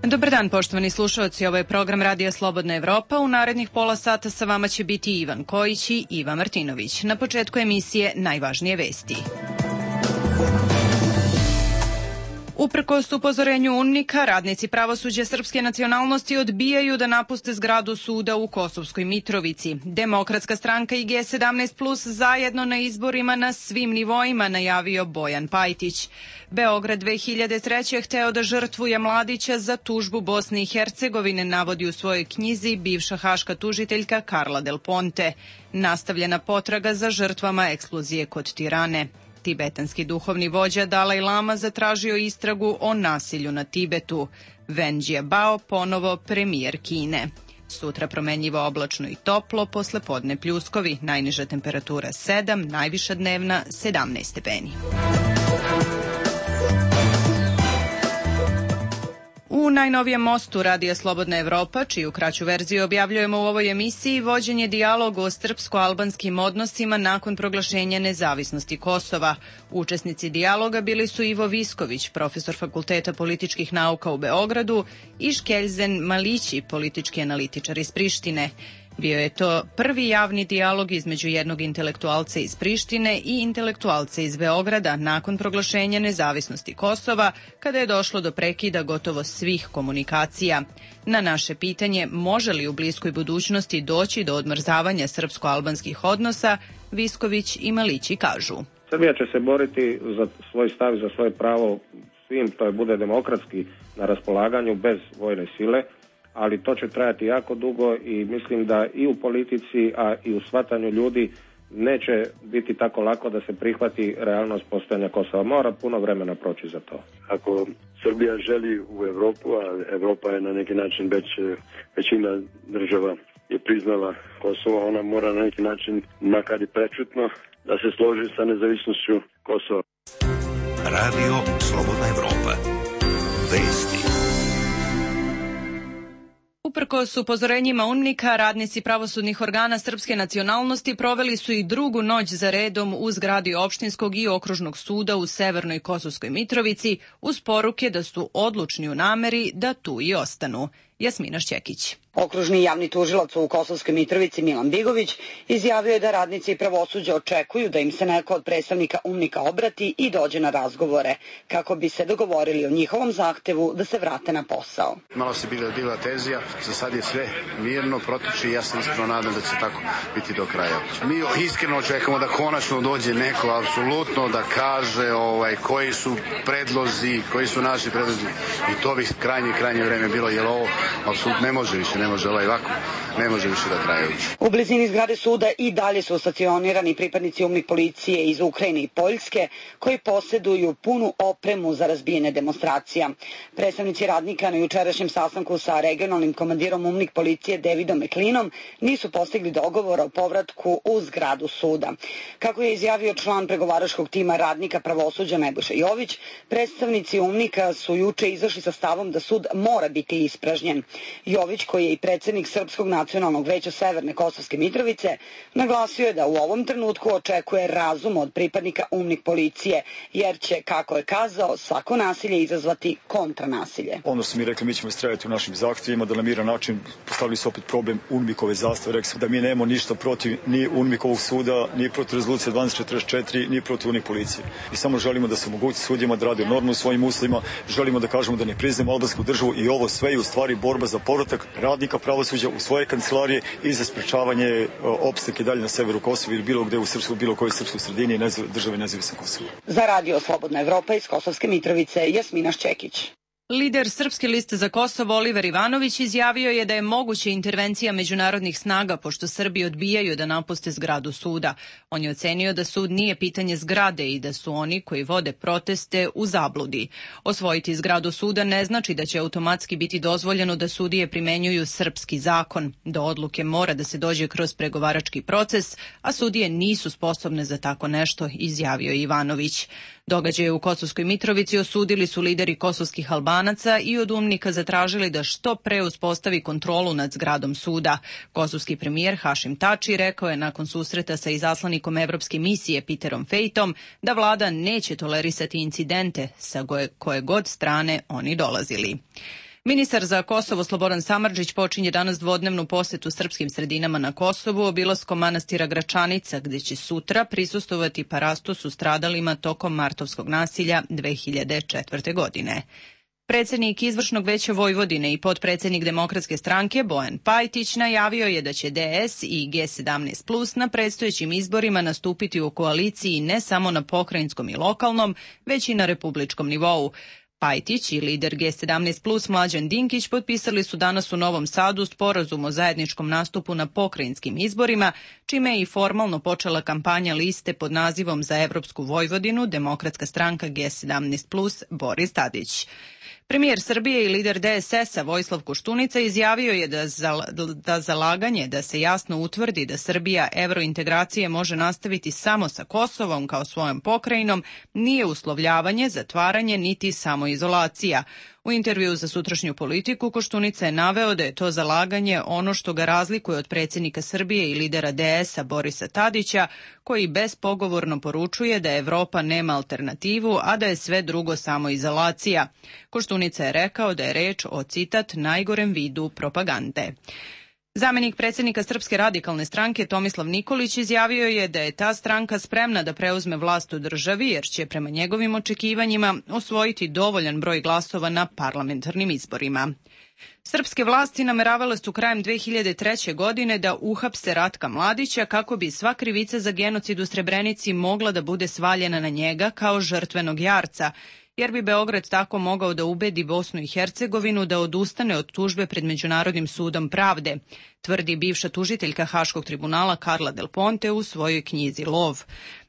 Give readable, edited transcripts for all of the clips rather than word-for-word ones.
Dobar dan, poštovani slušalci, ovo je program Radija Slobodna Evropa. U narednih pola sata sa vama će biti Ivan Kojić i Iva Martinović. Na početku emisije najvažnije vesti. Uprkos upozorenju UNMIK-a, radnici pravosuđa srpske nacionalnosti odbijaju da napuste zgradu suda u Kosovskoj Mitrovici. Demokratska stranka i G17+ zajedno na izborima na svim nivoima, najavio Bojan Pajtić. Beograd 2003. hteo da žrtvuje Mladića za tužbu Bosne i Hercegovine, navodi u svojoj knjizi bivša haška tužiteljka Karla Del Ponte. Nastavljena potraga za žrtvama eksplozije kod Tirane. Tibetanski duhovni vođa Dalaj Lama zatražio istragu o nasilju na Tibetu. Wen Jiabao ponovo premijer Kine. Sutra promenljivo oblačno i toplo, posle podne pljuskovi, najniža temperatura 7, najviša dnevna 17 stepeni. U najnovijem mostu Radija Slobodna Evropa, čiju kraću verziju objavljujemo u ovoj emisiji, vođen je dijalog o srpsko-albanskim odnosima nakon proglašenja nezavisnosti Kosova. Učesnici dijaloga bili su Ivo Visković, profesor Fakulteta političkih nauka u Beogradu, i Škeljzen Malići, politički analitičar iz Prištine. Bio je to prvi javni dijalog između jednog intelektualca iz Prištine i intelektualca iz Beograda nakon proglašenja nezavisnosti Kosova, kada je došlo do prekida gotovo svih komunikacija. Na naše pitanje može li u bliskoj budućnosti doći do odmrzavanja srpsko-albanskih odnosa, Visković i Malići kažu. Srbija će se boriti za svoj stav i za svoje pravo svim, to je bude demokratski na raspolaganju bez vojne sile, ali to će trajati jako dugo i mislim da i u politici, a i u shvatanju ljudi neće biti tako lako da se prihvati realnost postojanja Kosova. Mora puno vremena proći za to. Ako Srbija želi u Evropu, a Evropa je na neki način većina država je priznala Kosovo, ona mora na neki način, makar i prečutno, da se složi sa nezavisnošću Kosova. Radio Slobodna Evropa. Vesti. Uprkos upozorenjima UNMIK-a, radnici pravosudnih organa srpske nacionalnosti proveli su i drugu noć za redom u zgradi opštinskog i okružnog suda u Severnoj Kosovskoj Mitrovici uz poruke da su odlučni u nameri da tu i ostanu. Jasmina Šćekić. Okružni javni tužilac u Kosovskoj Mitrovici Milan Bigović izjavio je da radnici pravosuđa očekuju da im se neko od predstavnika UNMIK-a obrati i dođe na razgovore, kako bi se dogovorili o njihovom zahtevu da se vrate na posao. Malo se bila tenzija, za sad je sve mirno, protiče i ja se iskreno nadam da će tako biti do kraja. Mi iskreno očekujemo da konačno dođe neko, apsolutno da kaže koji su predlozi, koji su naši predlozi, i to bi krajnje vreme bilo, jer ovo apsolutno ne može više, ne može ovako, ne može više da traje. U blizini zgrade suda i dalje su stacionirani pripadnici UNMIK policije iz Ukrajine i Poljske, koji posjeduju punu opremu za razbijene demonstracija. Predstavnici radnika na jučerašnjem sastanku sa regionalnim komandirom UNMIK policije Davidom Meklinom nisu postigli dogovor o povratku u zgradu suda. Kako je izjavio član pregovaračkog tima radnika pravosuđa Nebojša Jović, predstavnici UNMIK-a su juče izašli sa stavom da sud mora biti ispražnjen. Jović, koji je i predsjednik Srpskog nacionalnog veća Severne Kosovske Mitrovice, naglasio je da u ovom trenutku očekuje razum od pripadnika UNMIK policije, jer će, kako je kazao, svako nasilje izazvati kontranasilje. Ono su mi rekli, mi ćemo istrajati u našim zahtjevima, da na miran način postavili su opet problem UNMIK-ove zastave. Rekli su da mi nemamo ništa protiv ni UNMIK-ovog suda, ni protiv rezolucije 1244, ni protiv UNMIK policije. I samo želimo da se omogući sudijama da rade normalno u svojim uslovima, želimo da kažemo da ne priznajemo albansku državu i ovo sve je u stvari borba za povratak radnika pravosuđa u svoje kancelarije i za sprečavanje opstanka dalje na severu Kosova ili bilo gde u Srpskoj, bilo kojoj srpskoj sredini i države nezavisne Kosova. Za Radio Slobodna Evropa iz Kosovske Mitrovice, Jasmina Šćekić. Lider Srpske liste za Kosovo Oliver Ivanović izjavio je da je moguća intervencija međunarodnih snaga pošto Srbi odbijaju da napuste zgradu suda. On je ocenio da sud nije pitanje zgrade i da su oni koji vode proteste u zabludi. Osvojiti zgradu suda ne znači da će automatski biti dozvoljeno da sudije primenjuju srpski zakon. Do odluke mora da se dođe kroz pregovarački proces, a sudije nisu sposobne za tako nešto, izjavio je Ivanović. Događaje u Kosovskoj Mitrovici osudili su lideri kosovskih Albanaca i od UNMIK-a zatražili da što pre uspostavi kontrolu nad zgradom suda. Kosovski premijer Hašim Tači rekao je nakon susreta sa izaslanikom Evropske misije Peterom Fejtom da vlada neće tolerisati incidente sa koje god strane oni dolazili. Ministar za Kosovo Slobodan Samardžić počinje danas dvodnevnu posetu srpskim sredinama na Kosovu obilaskom manastira Gračanica, gde će sutra prisustvovati parastosu stradalima tokom martovskog nasilja 2004. godine. Predsednik Izvršnog veća Vojvodine i potpredsednik Demokratske stranke Bojan Pajtić najavio je da će DS i G17+ na predstojećim izborima nastupiti u koaliciji ne samo na pokrajinskom i lokalnom, već i na republičkom nivou. Pajtić i lider G17+ Mlađan Dinkić potpisali su danas u Novom Sadu sporazum o zajedničkom nastupu na pokrajinskim izborima, čime je i formalno počela kampanja liste pod nazivom Za evropsku Vojvodinu Demokratska stranka G17+ Boris Tadić. Premijer Srbije i lider DSS-a Vojislav Koštunica izjavio je da zalaganje da se jasno utvrdi da Srbija evrointegracije može nastaviti samo sa Kosovom kao svojom pokrajinom nije uslovljavanje, zatvaranje niti samoizolacija. U intervjuu za sutrašnju Politiku Koštunica je naveo da je to zalaganje ono što ga razlikuje od predsjednika Srbije i lidera DS-a Borisa Tadića, koji bespogovorno poručuje da Evropa nema alternativu, a da je sve drugo samoizolacija. Koštunica je rekao da je reč o, citat, najgorem vidu propagande. Zamenik predsjednika Srpske radikalne stranke Tomislav Nikolić izjavio je da je ta stranka spremna da preuzme vlast u državi jer će prema njegovim očekivanjima osvojiti dovoljan broj glasova na parlamentarnim izborima. Srpske vlasti nameravale su krajem 2003. godine da uhapse Ratka Mladića kako bi sva krivica za genocid u Srebrenici mogla da bude svaljena na njega kao žrtvenog jarca, jer bi Beograd tako mogao da ubedi Bosnu i Hercegovinu da odustane od tužbe pred Međunarodnim sudom pravde, tvrdi bivša tužiteljka Haškog tribunala Karla Del Ponte u svojoj knjizi Lov.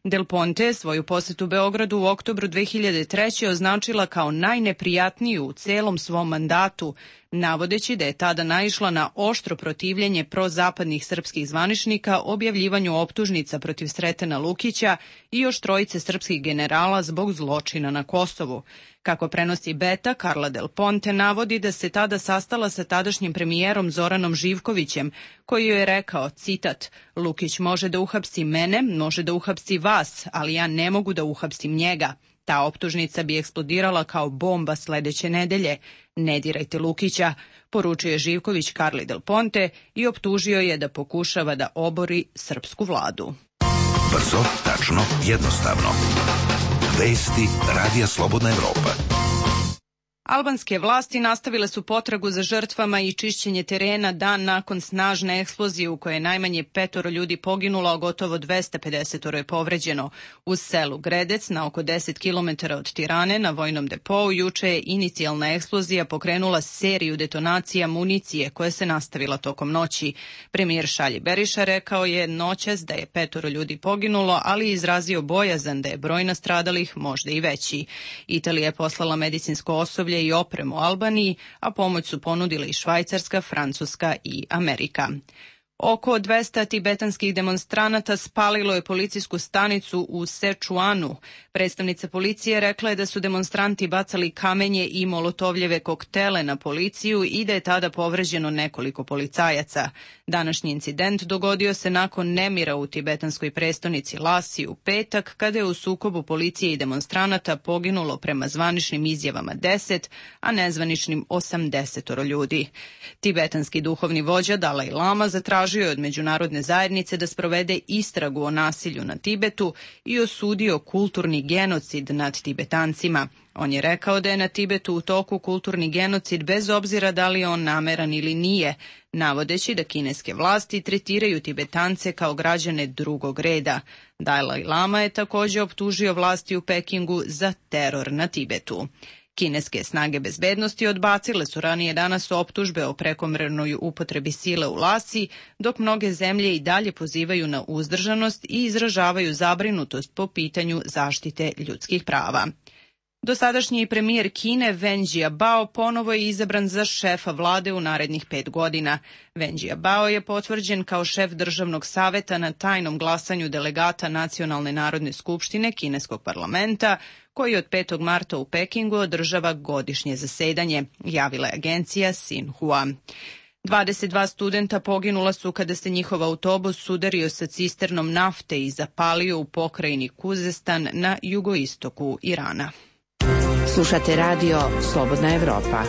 Del Ponte svoju posetu Beogradu u oktobru 2003. označila kao najneprijatniju u celom svom mandatu, navodeći da je tada naišla na oštro protivljenje prozapadnih srpskih zvaničnika objavljivanju optužnica protiv Sretena Lukića i još trojice srpskih generala zbog zločina na Kosovu. Kako prenosi Beta, Karla Del Ponte navodi da se tada sastala sa tadašnjim premijerom Zoranom Živkovićem, koji joj je rekao, citat, Lukić može da uhapsi mene, može da uhapsi vas, ali ja ne mogu da uhapsim njega. Ta optužnica bi eksplodirala kao bomba sledeće nedelje. Ne dirajte Lukića, poručuje Živković Karli Del Ponte i optužio je da pokušava da obori srpsku vladu. Brzo, tačno, jednostavno. Vesti Radija Slobodna Evropa. Albanske vlasti nastavile su potragu za žrtvama i čišćenje terena dan nakon snažne eksplozije u kojoj je najmanje 5 ljudi poginulo, a gotovo 250 je povređeno. U selu Gredec, na oko 10 km od Tirane, na vojnom depou, juče je inicijalna eksplozija pokrenula seriju detonacija municije koja se nastavila tokom noći. Premijer Šalji Beriša rekao je noćas da je 5 ljudi poginulo, ali izrazio bojazan da je broj nastradalih možda i veći. Italija je poslala medicinsko osoblje i opremu Albaniji, a pomoć su ponudile i Švajcarska, Francuska i Amerika. Oko 200 tibetanskih demonstranata spalilo je policijsku stanicu u Sečuanu. Predstavnica policije rekla je da su demonstranti bacali kamenje i molotovljeve koktele na policiju i da je tada povređeno nekoliko policajaca. Današnji incident dogodio se nakon nemira u tibetanskoj prestonici Lasi u petak, kada je u sukobu policije i demonstranata poginulo prema zvaničnim izjavama 10, a nezvaničnim 80 ljudi. Tibetanski duhovni vođa Dalaj Lama zatražio je od međunarodne zajednice da sprovede istragu o nasilju na Tibetu i osudio kulturni genocid nad Tibetancima. On je rekao da je na Tibetu u toku kulturni genocid bez obzira da li je on nameran ili nije, navodeći da kineske vlasti tretiraju Tibetance kao građane drugog reda. Dalaj Lama je također optužio vlasti u Pekingu za teror na Tibetu. Kineske snage bezbednosti odbacile su ranije danas optužbe o prekomernoj upotrebi sile u Lasi, dok mnoge zemlje i dalje pozivaju na uzdržanost i izražavaju zabrinutost po pitanju zaštite ljudskih prava. Dosadašnji premijer Kine Wen Jiabao ponovo je izabran za šefa vlade u narednih 5 godina. Wen Jiabao je potvrđen kao šef državnog saveta na tajnom glasanju delegata Nacionalne narodne skupštine kineskog parlamenta, koji od 5. marta u Pekingu održava godišnje zasedanje, javila je agencija Xinhua. 22 studenta poginula su kada se njihov autobus sudario sa cisternom nafte i zapalio u pokrajini Kuzestan na jugoistoku Irana. Slušate radio Slobodna Evropa.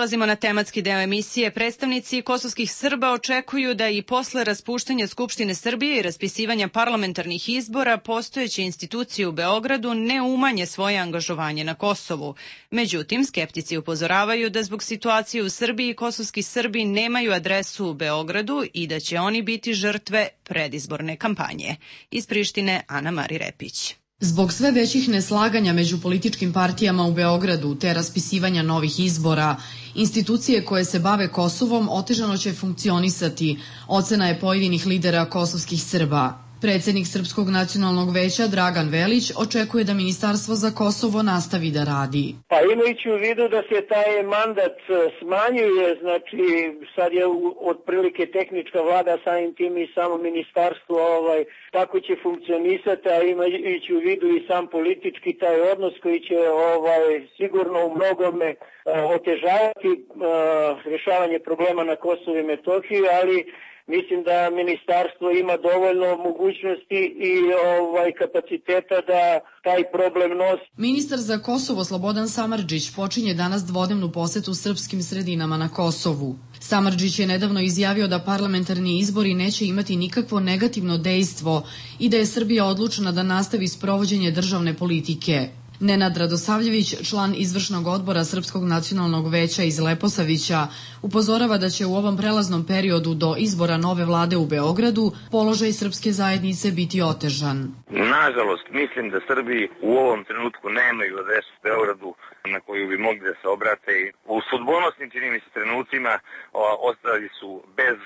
Prelazimo na tematski deo emisije. Predstavnici kosovskih Srba očekuju da i posle raspuštanja Skupštine Srbije i raspisivanja parlamentarnih izbora postojeće institucije u Beogradu ne umanje svoje angažovanje na Kosovu. Međutim, skeptici upozoravaju da zbog situacije u Srbiji kosovski Srbi nemaju adresu u Beogradu i da će oni biti žrtve predizborne kampanje. Iz Prištine, Ana Mari Repić. Zbog sve većih neslaganja među političkim partijama u Beogradu te raspisivanja novih izbora, institucije koje se bave Kosovom otežano će funkcionisati, ocena je pojedinih lidera kosovskih Srba. Predsednik Srpskog nacionalnog veća Dragan Velić očekuje da Ministarstvo za Kosovo nastavi da radi. Pa imajući u vidu da se taj mandat smanjuje, znači sad je otprilike tehnička vlada, samim tim i samo ministarstvo tako će funkcionisati, a imajući u vidu i sam politički taj odnos koji će sigurno u mnogome otežavati rješavanje problema na Kosovu i Metohiji, ali mislim da ministarstvo ima dovoljno mogućnosti i kapaciteta da taj problem nosi. Ministar za Kosovo Slobodan Samardžić počinje danas dvodnevnu posetu srpskim sredinama na Kosovu. Samardžić je nedavno izjavio da parlamentarni izbori neće imati nikakvo negativno dejstvo i da je Srbija odlučna da nastavi sprovođenje državne politike. Nenad Radosavljević, član izvršnog odbora Srpskog nacionalnog veća iz Leposavića, upozorava da će u ovom prelaznom periodu do izbora nove vlade u Beogradu položaj srpske zajednice biti otežan. Nažalost, mislim da Srbi u ovom trenutku nemaju adresu u Beogradu na koju bi mogli da se obrate. U sudbonosnim, čini mi se, trenucima ostali su bez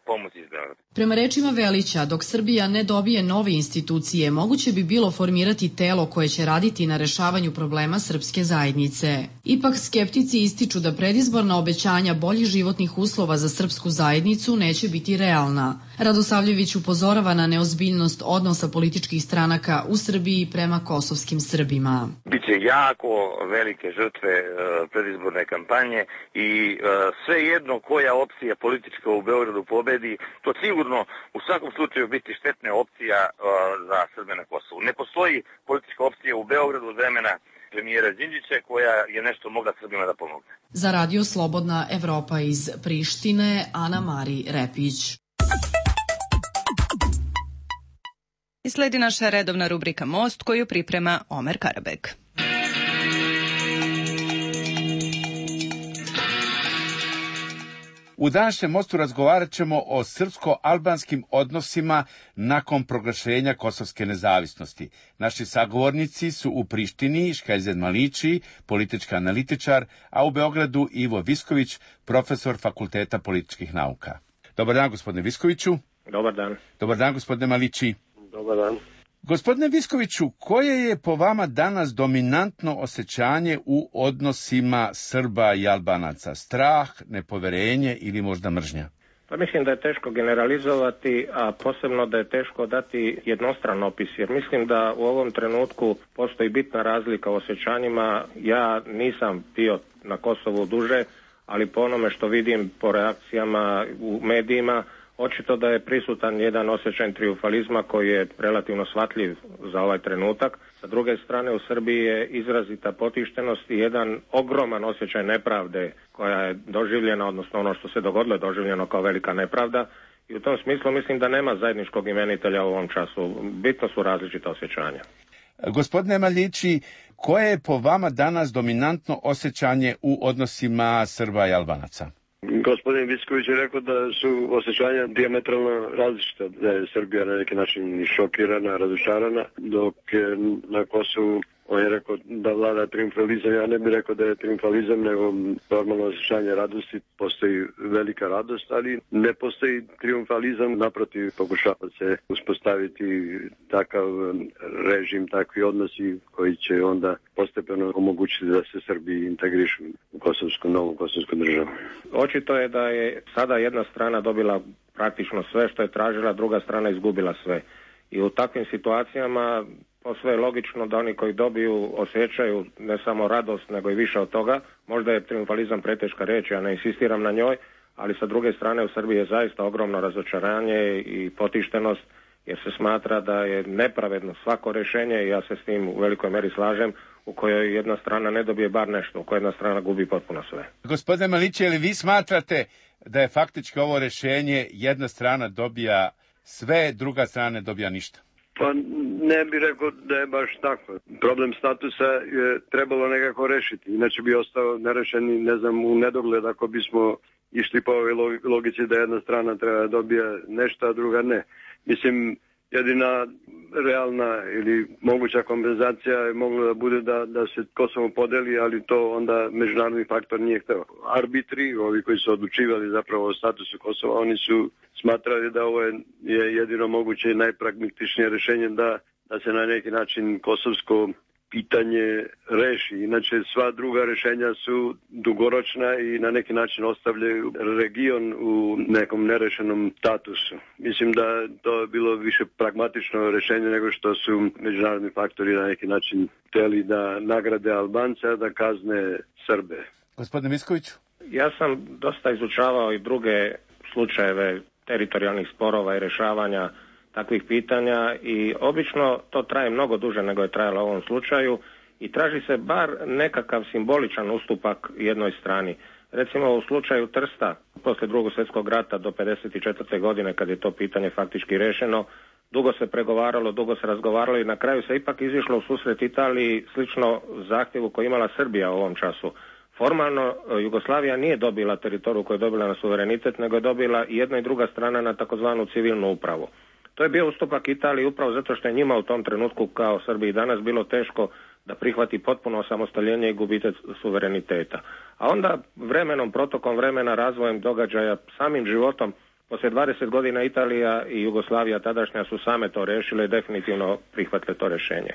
pomoći iz Beograda. Prema rečima Velića, dok Srbija ne dobije nove institucije, moguće bi bilo formirati telo koje će raditi na rešavanju problema srpske zajednice. Ipak skeptici ističu da predizborna obećanja boljih životnih uslova za srpsku zajednicu neće biti realna. Radosavljević upozorava na neozbiljnost odnosa političkih stranaka u Srbiji prema kosovskim Srbima. Biće jako velike žrtve predizborne kampanje i svejedno koja opcija politička u Beogradu pobedi, to sigurno u svakom slučaju biti štetna opcija za Srbe na Kosovu. Ne postoji politička opcija u Beogradu od vremena premijera Đinđića koja je nešto mogla Srbima da pomogne. Za Radio Slobodna Evropa iz Prištine, Ana Mari Repić. I sledi naša redovna rubrika Most koju priprema Omer Karabek. U današnjem Mostu razgovarat ćemo o srpsko-albanskim odnosima nakon proglašenja kosovske nezavisnosti. Naši sagovornici su u Prištini Škajzen Malići, politički analitičar, a u Beogradu Ivo Visković, profesor Fakulteta političkih nauka. Dobar dan, gospodine Viskoviću. Dobar dan. Dobar dan, gospodine Malići. Dobar dan. Gospodine Viskoviću, koje je po vama danas dominantno osjećanje u odnosima Srba i Albanaca? Strah, nepoverenje ili možda mržnja? Pa mislim da je teško generalizovati, a posebno da je teško dati jednostran opis, jer mislim da u ovom trenutku postoji bitna razlika u osjećanjima. Ja nisam bio na Kosovu duže, ali po onome što vidim po reakcijama u medijima, očito da je prisutan jedan osjećaj trijumfalizma koji je relativno shvatljiv za ovaj trenutak. Sa druge strane, u Srbiji je izrazita potištenost i jedan ogroman osjećaj nepravde koja je doživljena, odnosno ono što se dogodilo je doživljeno kao velika nepravda. I u tom smislu mislim da nema zajedničkog imenitelja u ovom času. Bitno su različita osjećanja. Gospodine Malići, koje je po vama danas dominantno osjećanje u odnosima Srba i Albanaca? Gospodin Visković je rekao da su osjećanja dijametralno različita, da je Srbija na neki način šokirana, razočarana, dok je na Kosovu on je rekao da vlada triumfalizam. Ja ne bih rekao da je triumfalizam, nego normalno osjećanje radosti. Postoji velika radost, ali ne postoji triumfalizam. Naprotiv, pokušava se uspostaviti takav režim, takvi odnosi koji će onda postepeno omogućiti da se Srbi integrišu u novu kosovsku državu. Očito je da je sada jedna strana dobila praktično sve što je tražila, druga strana izgubila sve. I u takvim situacijama posve je logično da oni koji dobiju osjećaju ne samo radost, nego i više od toga. Možda je triumfalizam preteška riječ, ja ne insistiram na njoj, ali sa druge strane u Srbiji je zaista ogromno razočaranje i potištenost, jer se smatra da je nepravedno svako rješenje, i ja se s tim u velikoj meri slažem, u kojoj jedna strana ne dobije bar nešto, u kojoj jedna strana gubi potpuno sve. Gospodine Malići, ali vi smatrate da je faktički ovo rješenje jedna strana dobija sve, druga strana ne dobija ništa? Pa ne bih rekao da je baš tako. Problem statusa je trebalo nekako rešiti, inače bi ostao nerešen i ne znam u nedogled ako bismo išli po ovoj logici da jedna strana treba dobija nešto, a druga ne. Mislim, jedina realna ili moguća kompenzacija je mogla da bude da se Kosovo podeli, ali to onda međunarodni faktor nije hteo. Arbitri, ovi koji su odlučivali zapravo o statusu Kosova, oni su smatrali da ovo je jedino moguće i najpragmatičnije rešenje da se na neki način kosovsko pitanje reši. Inače, sva druga rešenja su dugoročna i na neki način ostavljaju region u nekom nerešenom statusu. Mislim da to je bilo više pragmatično rešenje nego što su međunarodni faktori na neki način hteli da nagrade Albanca, da kazne Srbe. Gospodine Miskoviću? Ja sam dosta izučavao i druge slučajeve teritorijalnih sporova i rešavanja takvih pitanja i obično to traje mnogo duže nego je trajalo u ovom slučaju i traži se bar nekakav simboličan ustupak jednoj strani. Recimo u slučaju Trsta, poslije Drugog svjetskog rata do 1954. godine kad je to pitanje faktički rešeno, dugo se pregovaralo, dugo se razgovaralo i na kraju se ipak izišlo u susret Italiji slično zahtjevu koji imala Srbija u ovom času. Formalno Jugoslavija nije dobila teritoriju koju je dobila na suverenitet, nego je dobila i jedna i druga strana na takozvanu civilnu upravu. To je bio ustupak Italiji upravo zato što je njima u tom trenutku kao Srbiji danas bilo teško da prihvati potpuno osamostaljenje i gubitak suvereniteta. A onda vremenom, protokom vremena, razvojem događaja, samim životom, poslije 20 godina Italija i Jugoslavija tadašnja su same to rešile i definitivno prihvatile to rješenje.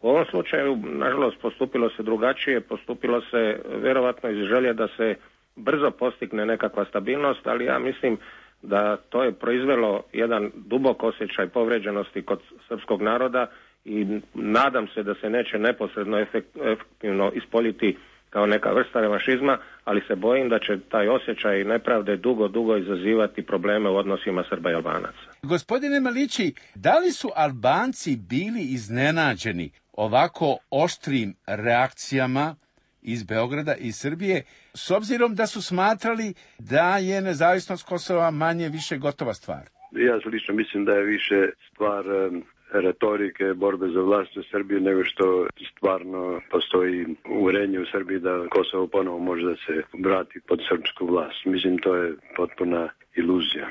U ovom slučaju, nažalost, postupilo se drugačije, postupilo se vjerovatno iz želje da se brzo postigne nekakva stabilnost, ali ja mislim da to je proizvelo jedan dubok osjećaj povređenosti kod srpskog naroda i nadam se da se neće neposredno efektivno ispoljiti kao neka vrsta revanšizma, ali se bojim da će taj osjećaj nepravde dugo izazivati probleme u odnosima Srba i Albanaca. Gospodine Malići, da li su Albanci bili iznenađeni ovako oštrim reakcijama iz Beograda i Srbije, s obzirom da su smatrali da je nezavisnost Kosova manje više gotova stvar? Ja lično mislim da je više stvar retorike, borbe za vlast u Srbiji, nego što stvarno postoji uverenje u Srbiji da Kosovo ponovo može da se vrati pod srpsku vlast. Mislim, to je potpuna iluzija.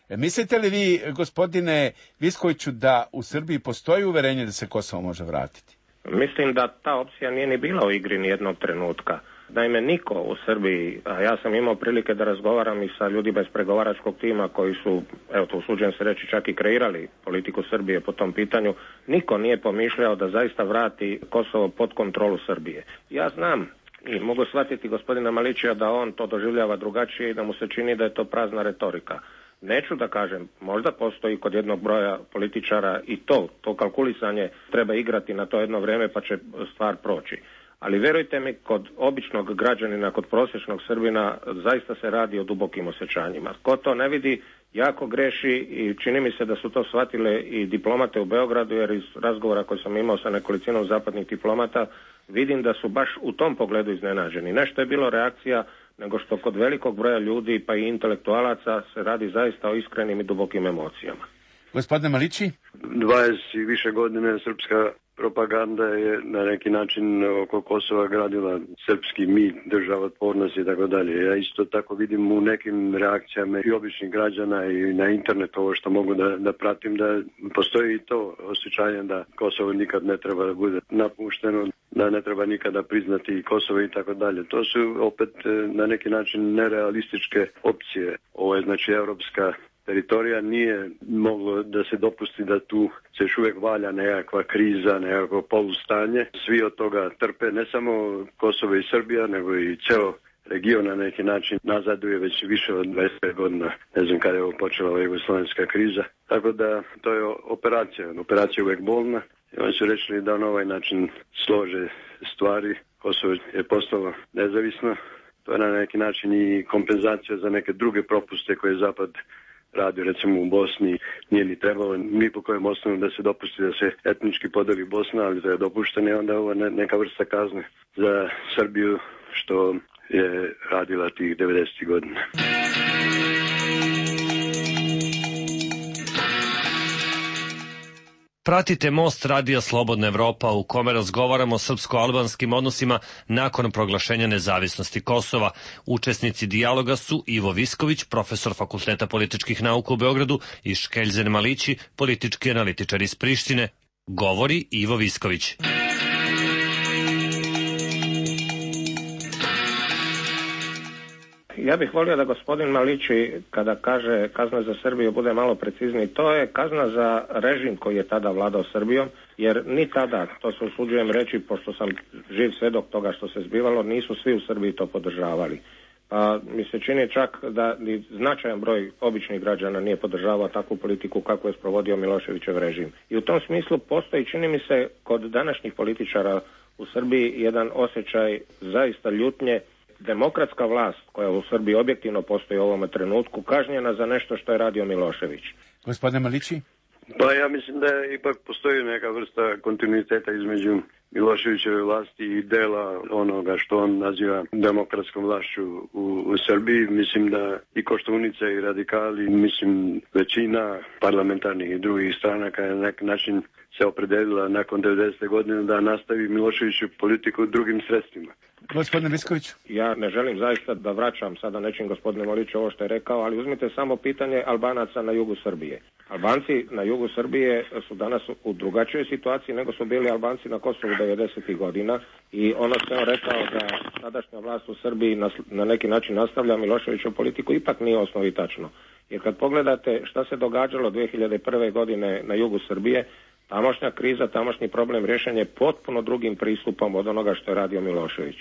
Mislite li vi, gospodine Viskoviću, da u Srbiji postoji uverenje da se Kosovo može vratiti? Mislim da ta opcija nije ni bila u igri ni jednog trenutka. Naime, niko u Srbiji, a ja sam imao prilike da razgovaram i sa ljudima iz pregovaračkog tima koji su, evo to usuđujem se reći, čak i kreirali politiku Srbije po tom pitanju, niko nije pomišljao da zaista vrati Kosovo pod kontrolu Srbije. Ja znam i mogu shvatiti gospodina Malićija da on to doživljava drugačije i da mu se čini da je to prazna retorika. Neću da kažem, možda postoji kod jednog broja političara i to kalkulisanje treba igrati na to jedno vrijeme pa će stvar proći. Ali vjerujte mi, kod običnog građanina, kod prosječnog Srbina, zaista se radi o dubokim osjećanjima. Ko to ne vidi, jako greši i čini mi se da su to shvatile i diplomate u Beogradu, jer iz razgovora koji sam imao sa nekolicinom zapadnih diplomata, vidim da su baš u tom pogledu iznenađeni. Nešto je bilo reakcija, nego što kod velikog broja ljudi, pa i intelektualaca, se radi zaista o iskrenim i dubokim emocijama. Gospodine Malići? 20 i više godine srpska propaganda je na neki način oko Kosova gradila srpski mit, državotvornost i tako dalje. Ja isto tako vidim u nekim reakcijama i običnih građana i na internetu ovo što mogu da pratim, da postoji i to osjećanje da Kosovo nikad ne treba da bude napušteno, da ne treba nikada priznati Kosovo i tako dalje. To su opet na neki način nerealističke opcije. Ovo je znači evropska teritorija, nije moglo da se dopusti da tu se još uvijek valja nekakva kriza, nekakvo polustanje. Svi od toga trpe, ne samo Kosovo i Srbija, nego i ceo region na neki način nazaduje već više od 25 godina. Ne znam kada je ovo počela ova jugoslovenska kriza. Tako da to je operacija. Operacija je uvijek bolna. I oni su rečili da na ovaj način slože stvari. Kosovo je postalo nezavisno. To je na neki način i kompenzacija za neke druge propuste koje je Zapad radio recimo u Bosni, nije ni trebalo ni po kojem osnovu da se dopusti da se etnički podeli Bosna, ali da je dopušteno je onda ovo neka vrsta kazne za Srbiju što je radila tih 90. godina. Pratite Most radija Slobodna Evropa u kome razgovaramo o srpsko-albanskim odnosima nakon proglašenja nezavisnosti Kosova. Učesnici dijaloga su Ivo Visković, profesor Fakulteta političkih nauka u Beogradu, i Škeljzen Malići, politički analitičar iz Prištine. Govori Ivo Visković. Ja bih volio da gospodin Malići, kada kaže kazna za Srbiju, bude malo precizniji. To je kazna za režim koji je tada vladao Srbijom, jer ni tada, to se usuđujem reći, pošto sam živ svedok toga što se zbivalo, nisu svi u Srbiji to podržavali. Pa mi se čini čak da ni značajan broj običnih građana nije podržavao takvu politiku kako je sprovodio Miloševićev režim. I u tom smislu postoji, čini mi se, kod današnjih političara u Srbiji jedan osjećaj zaista ljutnje. Demokratska vlast koja u Srbiji objektivno postoji u ovome trenutku kažnjena za nešto što je radio Milošević. Gospodine Malići? Pa ja mislim da ipak postoji neka vrsta kontinuiteta između Miloševićeve vlasti i dela onoga što on naziva demokratskom vlašću u Srbiji. Mislim da i Koštunica i radikali, mislim većina parlamentarnih i drugih stranaka je na neki način se opredelila nakon 90. godine da nastavi Miloševiću politiku drugim sredstvima. Gospodine Visković? Ja ne želim zaista da vraćam sada nečim gospodine Maliću ovo što je rekao, ali uzmite samo pitanje Albanaca na jugu Srbije. Albanci na jugu Srbije su danas u drugačijoj situaciji nego su bili Albanci na Kosovu 90. godina i ono što je on rekao da sadašnja vlast u Srbiji na neki način nastavlja Miloševićevu politiku ipak nije osnovi tačno. Jer kad pogledate šta se događalo 2001. godine na jugu Srbije, tamošnja kriza, tamošnji problem rješen je potpuno drugim pristupom od onoga što je radio Milošević.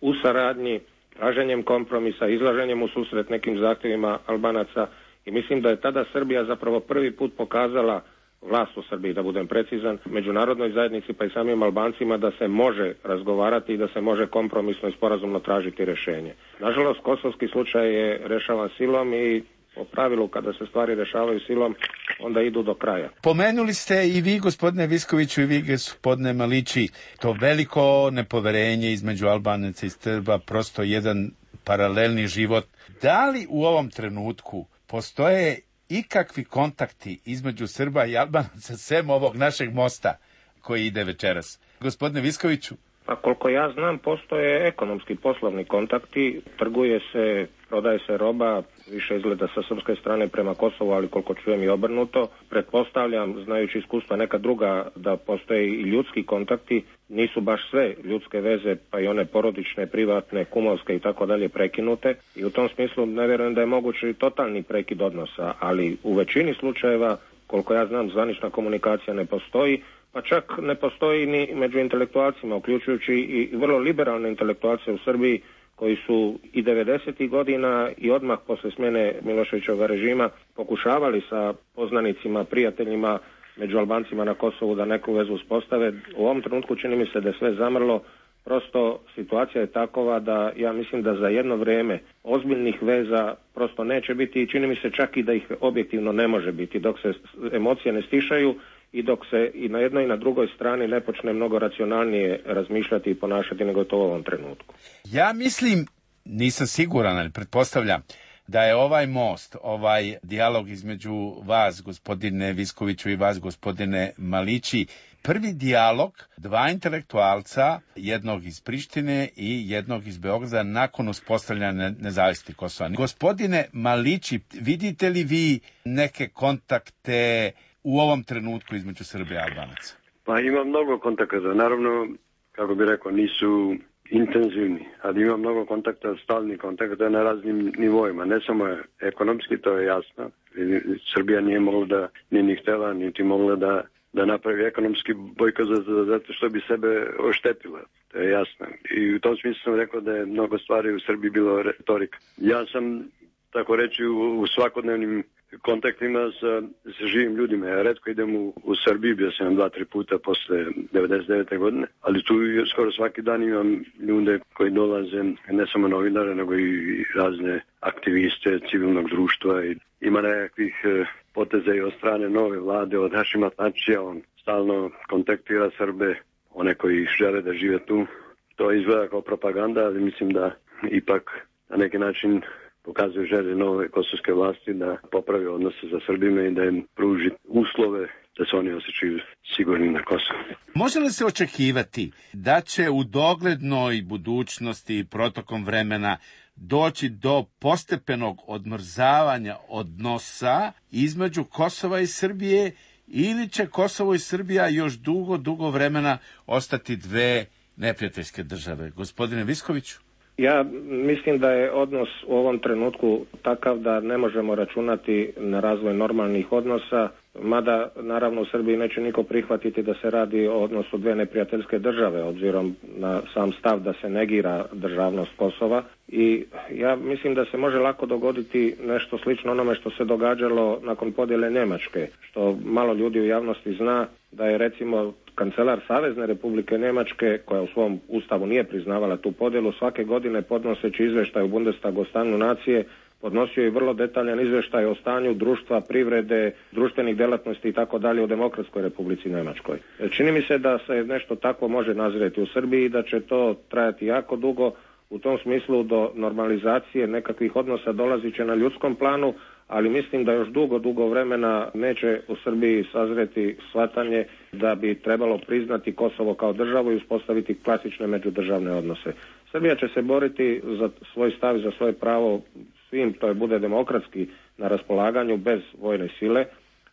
U saradnji, traženjem kompromisa, izlaženjem u susret nekim zahtjevima Albanaca i mislim da je tada Srbija zapravo prvi put pokazala, vlast u Srbiji da budem precizan, međunarodnoj zajednici pa i samim Albancima da se može razgovarati i da se može kompromisno i sporazumno tražiti rješenje. Nažalost, kosovski slučaj je rešavan silom i po pravilu kada se stvari rešavaju silom, onda idu do kraja. Pomenuli ste i vi, gospodine Viskoviću, i vi, gospodine Malići, to veliko nepoverenje između Albanaca i Srba, prosto jedan paralelni život. Da li u ovom trenutku postoje ikakvi kontakti između Srba i Albanaca sem ovog našeg mosta koji ide večeras? Gospodine Viskoviću? Pa koliko ja znam, postoje ekonomski poslovni kontakti, trguje se, prodaje se roba, više izgleda sa srpske strane prema Kosovu, ali koliko čujem i obrnuto. Pretpostavljam, znajući iskustva neka druga, da postoje i ljudski kontakti, nisu baš sve ljudske veze, pa i one porodične, privatne, kumovske i tako dalje prekinute. I u tom smislu ne vjerujem da je mogući totalni prekid odnosa, ali u većini slučajeva, koliko ja znam, zvanična komunikacija ne postoji, pa čak ne postoji ni među intelektualcima, uključujući i vrlo liberalne intelektualce u Srbiji koji su i 90. godina i odmah posle smjene Miloševićevog režima pokušavali sa poznanicima, prijateljima među Albancima na Kosovu da neku vezu uspostave. U ovom trenutku čini mi se da je sve zamrlo. Prosto situacija je takova da ja mislim da za jedno vrijeme ozbiljnih veza prosto neće biti i čini mi se čak i da ih objektivno ne može biti dok se emocije ne stišaju i dok se i na jednoj i na drugoj strani ne počne mnogo racionalnije razmišljati i ponašati nego to u ovom trenutku. Ja mislim, nisam siguran, ali pretpostavljam da je ovaj most, ovaj dijalog između vas, gospodine Viskoviću, i vas, gospodine Malići, prvi dijalog dva intelektualca, jednog iz Prištine i jednog iz Beograda, nakon uspostavljanja nezavisnosti Kosova. Gospodine Malići, vidite li vi neke kontakte u ovom trenutku između Srbije i Albanaca? Pa ima mnogo kontakata. Naravno, kako bi rekao, nisu intenzivni, ali ima mnogo kontakta, stalnih kontakata na raznim nivoima. Ne samo ekonomski, to je jasno. Srbija nije mogla da, nije ni htjela, niti mogla da napravi ekonomski bojkot zato što bi sebe oštetila. To je jasno. I u tom smislu sam rekao da je mnogo stvari u Srbiji bilo retorika. Ja sam tako reći, u svakodnevnim kontaktima sa živim ljudima. Ja retko idem u Srbiji, bio sam 2-3 puta posle 99. godine, ali tu skoro svaki dan imam ljude koji dolaze, ne samo novinare, nego i razne aktiviste civilnog društva. I ima nekakvih poteza i od strane nove vlade, od Hašima Tačija, on stalno kontaktira Srbe, one koji žele da žive tu. To izgleda kao propaganda, ali mislim da ipak na neki način pokazuje želje nove kosovske vlasti da popravi odnose za Srbime i da im pruži uslove da se oni osjećaju sigurni na Kosovu. Može li se očekivati da će u doglednoj budućnosti i protokom vremena doći do postepenog odmrzavanja odnosa između Kosova i Srbije, ili će Kosovo i Srbija još dugo vremena ostati dve neprijateljske države? Gospodine Viskoviću? Ja mislim da je odnos u ovom trenutku takav da ne možemo računati na razvoj normalnih odnosa, mada naravno u Srbiji neće niko prihvatiti da se radi o odnosu dve neprijateljske države, obzirom na sam stav da se negira državnost Kosova. I ja mislim da se može lako dogoditi nešto slično onome što se događalo nakon podjele Njemačke, što malo ljudi u javnosti zna, da je recimo kancelar Savezne Republike Njemačke, koja u svom ustavu nije priznavala tu podjelu, svake godine podnoseći izveštaj u Bundestagu o stanju nacije, podnosio je vrlo detaljan izveštaj o stanju društva, privrede, društvenih delatnosti i tako dalje u Demokratskoj Republici Njemačkoj. Čini mi se da se nešto takvo može nazreti u Srbiji i da će to trajati jako dugo. U tom smislu do normalizacije nekakvih odnosa dolazit će na ljudskom planu, ali mislim da još dugo vremena neće u Srbiji sazreti shvatanje da bi trebalo priznati Kosovo kao državu i uspostaviti klasične međudržavne odnose. Srbija će se boriti za svoj stav i za svoje pravo svim, to je bude demokratski na raspolaganju bez vojne sile,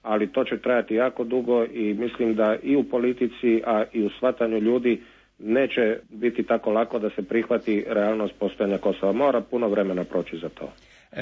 ali to će trajati jako dugo i mislim da i u politici, a i u shvatanju ljudi neće biti tako lako da se prihvati realnost postojanja Kosova. Mora puno vremena proći za to.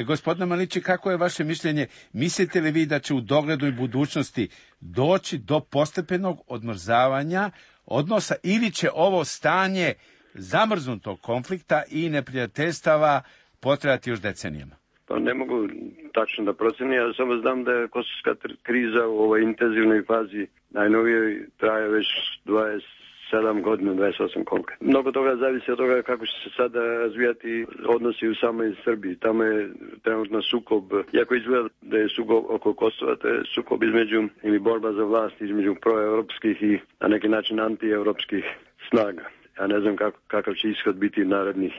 Gospodine Malići, kako je vaše mišljenje? Mislite li vi da će u doglednoj budućnosti doći do postepenog odmrzavanja odnosa, ili će ovo stanje zamrznutog konflikta i neprijateljstava potrajati još decenijama? Pa ne mogu tačno da procenim, ja samo znam da je kosovska kriza u ovoj intenzivnoj fazi najnovije traje već 27 godina, 28 koliko. Mnogo toga zavisi od toga kako će se sada razvijati odnosi u samoj Srbiji. Tamo je trenutno sukob, iako izgleda da je sukob oko Kosova, to je sukob između, ili borba za vlast između proevropskih i na neki način antievropskih snaga. Ja ne znam kakav će ishod biti narednih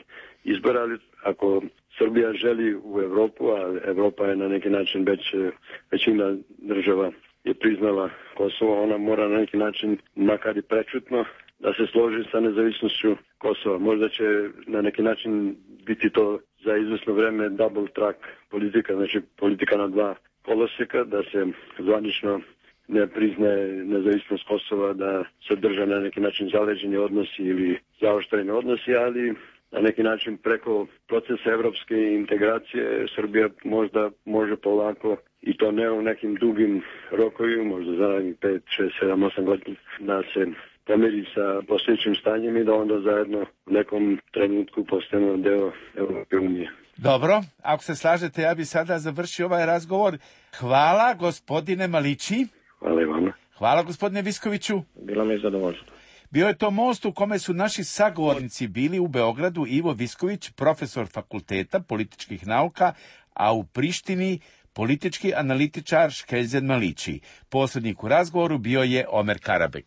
izbora, ali ako Srbija želi u Evropu, a Evropa je na neki način većina država je priznala Kosovo, ona mora na neki način, makar i prečutno, da se složi sa nezavisnošću Kosova. Možda će na neki način biti to za izvesno vreme double track politika, znači politika na dva koloseka, da se zvanično ne priznaje nezavisnost Kosova, da se drže na neki način zaleđeni odnosi ili zaoštreni odnosi, ali na neki način preko procesa evropske integracije Srbija možda može polako, i to ne u nekim dugim rokovima, možda za 5, 6, 7, 8 godina, da se pomiri sa postojećim stanjem i da onda zajedno u nekom trenutku postanemo deo Evropske unije. Dobro, ako se slažete, ja bi sada završio ovaj razgovor. Hvala, gospodine Malići. Hvala i vama. Hvala, gospodine Viskoviću. Bilo mi je zadovoljstvo. Bio je to most u kome su naši sagovornici bili u Beogradu Ivo Visković, profesor Fakulteta političkih nauka, a u Prištini politički analitičar Škeljzen Malići. Posrednik u razgovoru bio je Omer Karabek.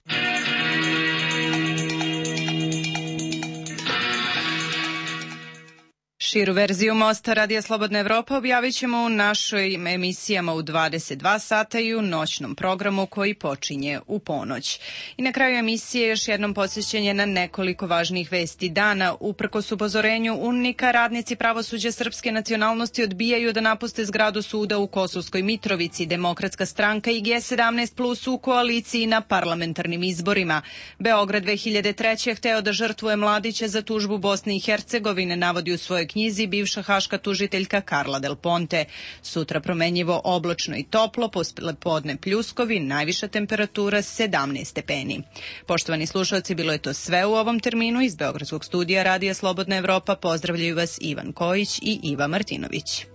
Širu verziju Mosta Radija Slobodna Evropa objavit ćemo u našoj emisijama u 22 sata i u noćnom programu koji počinje u ponoć. I na kraju emisije još jednom podsjećanje na nekoliko važnih vesti dana. Uprkos upozorenju UNMIK-a, radnici pravosuđa srpske nacionalnosti odbijaju da napuste zgradu suda u Kosovskoj Mitrovici. Demokratska stranka i G17 plus u koaliciji na parlamentarnim izborima. Beograd 2003. hteo da žrtvuje mladića za tužbu Bosne i Hercegovine, navodi u svojoj knjizi bivša haška tužiteljka Carla Del Ponte. Sutra promenjivo oblačno i toplo, poslepodne pljuskovi, najviša temperatura 17 stepeni. Poštovani slušalci, bilo je to sve u ovom terminu. Iz Beogradskog studija Radija Slobodna Evropa pozdravljaju vas Ivan Kojić i Iva Martinović.